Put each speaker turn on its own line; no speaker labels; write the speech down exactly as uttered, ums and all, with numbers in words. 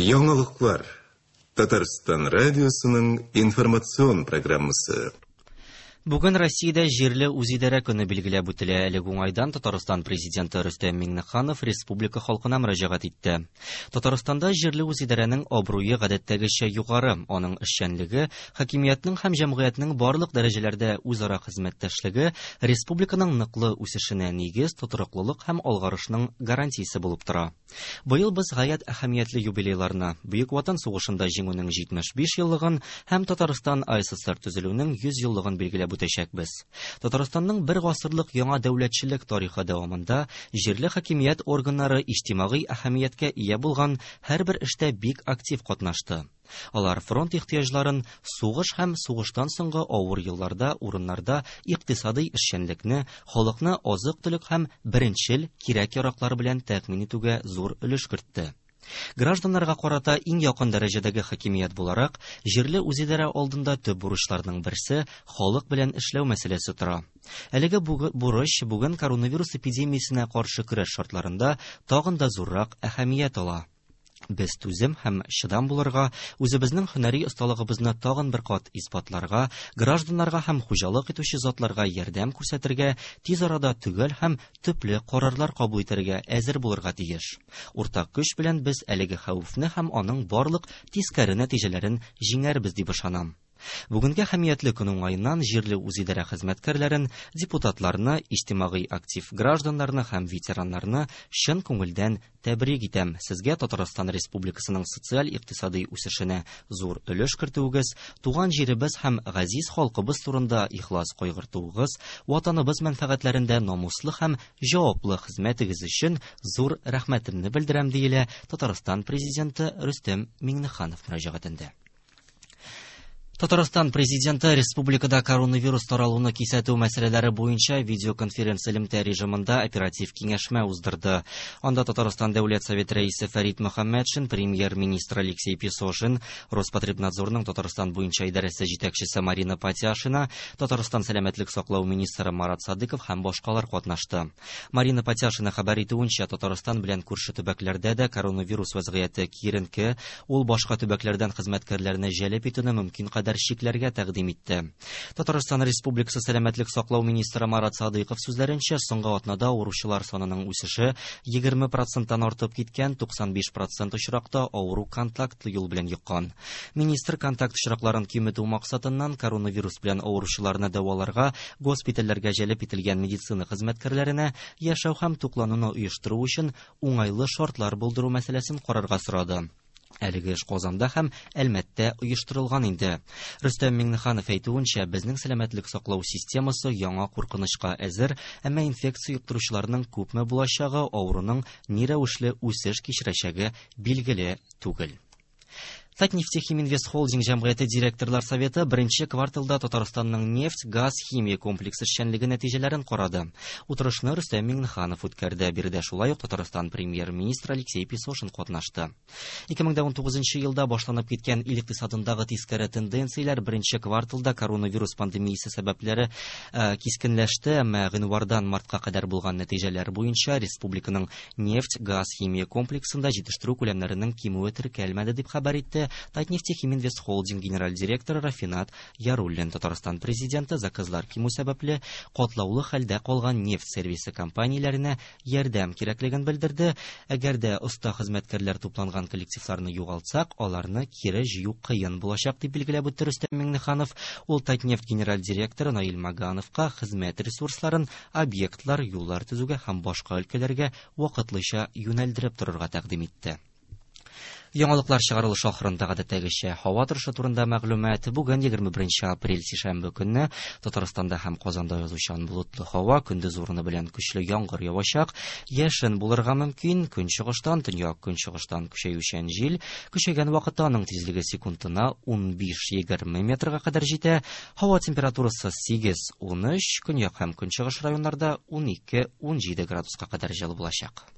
Яңалыклар. Татарстан радиосының информацион программасы.
Бүген Россиядә җирле үзидарә көне билгеләп үтелә. Әлеге уңайдан Татарстан президенты Рөстәм Миңнеханов республика халкына мөрәҗәгать итте. Татарстанда җирле үзидарәнең абруе гадәттәгечә югары, аның эшчәнлеге, хакимиятнең һәм җәмгыятьнең барлык дәрәҗәләрдә үзара хезмәттәшлеге республиканың ныклы үсешенә нигез, тотрыклылык һәм алгарышның гарантиясе булып тора. Быел без гаять әһәмиятле юбилейларны, Бөек Ватан сугышында җиңүнең җитмеш биш еллыгын һәм Татарстан А С С Р төзелүнең йөз еллыгын билгеләп үтәчәкбез. Татарстанның бер гасырлык яңа дәүләтчелек тарихы дәвамында җирле хакимият органнары иҗтимагый әһәмияткә ия булган һәрбер эштә бик актив катнашты. Алар фронт ихтыяҗларын, сугыш һәм сугыштан соңгы авыр елларда урыннарда икътисадый эшчәнлекне, халыкны азык-төлек һәм беренчел кирәк-яраклар белән тәэмин итүгә зур өлеш кертте. Гражданнарга карата иң якын дәрәҗәдәге хакимият буларак, җирле үзидарә алдында төп бурычларның берсе халык белән эшләү мәсьәләсе тора. Әлеге бурыч бүген коронавирус эпидемиясенә каршы көрәш шартларында тагын да зуррак әһәмият ала. Без түзем һәм чыдам булырга, үзебезнең һөнәри осталыгыбызны тагын бер кат исбатларга, гражданнарга һәм хуҗалык итүче затларга ярдәм күрсәтергә, тиз арада төгәл һәм төпле карарлар кабул итәргә әзер булырга тиеш. Уртак көч белән без әлеге хәвефне һәм аның барлык тискәре нәтиҗәләрен җиңәрбез дип ышанам. Бүгенге әһәмиятле көн уңаеннан җирле үзидарә хезмәткәрләрен, депутатларны, иҗтимагый актив гражданнарны һәм ветераннарны чын күңелдән тәбрик итәм. Сезгә Татарстан Республикасының социаль-икътисадый үсешенә зур өлеш кертүегез, туган җиребез һәм газиз халкыбыз турында ихлас кайгыртуыгыз, ватаныбыз мәнфәгатьләрендә намуслы һәм җаваплы хезмәтегез өчен зур рәхмәтемне белдерәм, диелә Татарстан президенты Рөстәм Миңнеханов мөрәҗәгатендә. Татарстан президенты республикада коронавирус таралуны кисәтү мәсьәләләре буенча видеоконференц элемтә режимында оператив киңәшмә уздырды. Анда Татарстан Дәүләт Совет рәисе Фәрит Мөхәммәтшин, премьер-министр Алексей Песошин, Роспотребнадзорның Татарстан буенча идарәсе җитәкчесе Марина Патяшина, Татарстан сәламәтлек саклау министры Марат Садыков һәм башкалар катнашты. Марина Патяшина хәбәр итүенчә, Татарстан белән күрше төбәкләрдә дә коронавирус вазгыяте киеренке, ул башка төбәкләрдән хезмәткәрләрне җәлеп итүне мөмкин кадәр чикләргә тәкъдим итте. Татарстан Республикасы сәламәтлек саклау министры Марат Садыйков сүзләренчә, соңгы атнада авыручылар санының үсеше егерме проценттан артып киткән, туксан биш процент очракта авыру контактлы юл белән йоккан. Министр контакт очракларын киметү максатыннан коронавирус белән авыручыларны дәваларга госпитальләргә җәлеп ителгән медицина хезмәткәрләренә яшәү һәм туклануны оештыру өчен уңайлы шартлар булдыру мәсьәләсен карарга сорады. Әлеге эш Казанда һәм Әлмәттә оештырылган инде. Рөстәм Миңнеханов әйтүенчә, безнең сәламәтлек саклау системасы яңа куркынычка әзер, әмма инфекция йоктыручыларның күпме булачагы, авыруның ни рәвешле үсеш кичерәчәге билгеле түгел. Татнефтехим Инвест Холдинг җәмгыяте директорлар советы беренче кварталда Татарстанның нефть, газ, химия комплексы эшчәнлеге нәтиҗәләрен карады. Утырышны Рөстәм Миңнеханов үткәрде. Биредә шулай ук Татарстан премьер-министры Алексей Песошин катнашты. Ике мең дә унтугызынчы елда башланып киткән ил икътисадындагы тискәре тенденцияләр беренче кварталда коронавирус пандемиясе сәбәпләре, э, кискенләште, әмма гыйнвардан мартка кадәр булган нәтиҗәләр буенча республиканың нефть, газ, химия комплексында җитештерү күләмнәренең кимүе теркәлмәде, дип хәбәр итте Татнефтехим Инвест Холдинг генераль директоры Рафинат Яруллин. Татарстан президенты заказлар кимү сәбәпле катлаулы хәлдә калган нефть сервисы компанияләренә ярдәм кирәклеген белдерде. Әгәр дә оста хезмәткәрләр тупланган коллективларны югалтсак, аларны кире җыю кыен булачак, дип билгеләп үтте Рөстәм Миңнеханов. Ул Татнефть генераль директоры Наил Магановка хезмәт ресурсларын объектлар, юллар төзүгә һәм башка өлкәләргә вакытлыча юнәлдереп торырга тәкъдим итте. Яңалыклар чыгарылышы ахырында гадәттәгечә һава торышы турында мәгълүмат. Бүген егерме беренче апрель сишәмбе көнне Татарстанда һәм Казанда язучан болытлы һава, көндез урыны белән көчле яңгыр явачак, яшен булырга мөмкин, көнчыгыштан, төньяк көнчыгыштан көчәючән җил, көчәйгән вакытта аның тизлеге секундына ун биш-егерме метрга кадәр җитә. Һава температурасы сигез-ун өч, көньяк һәм көнчыгыш районнарда ун ике-ун җиде градуска кадәр җылы булачак.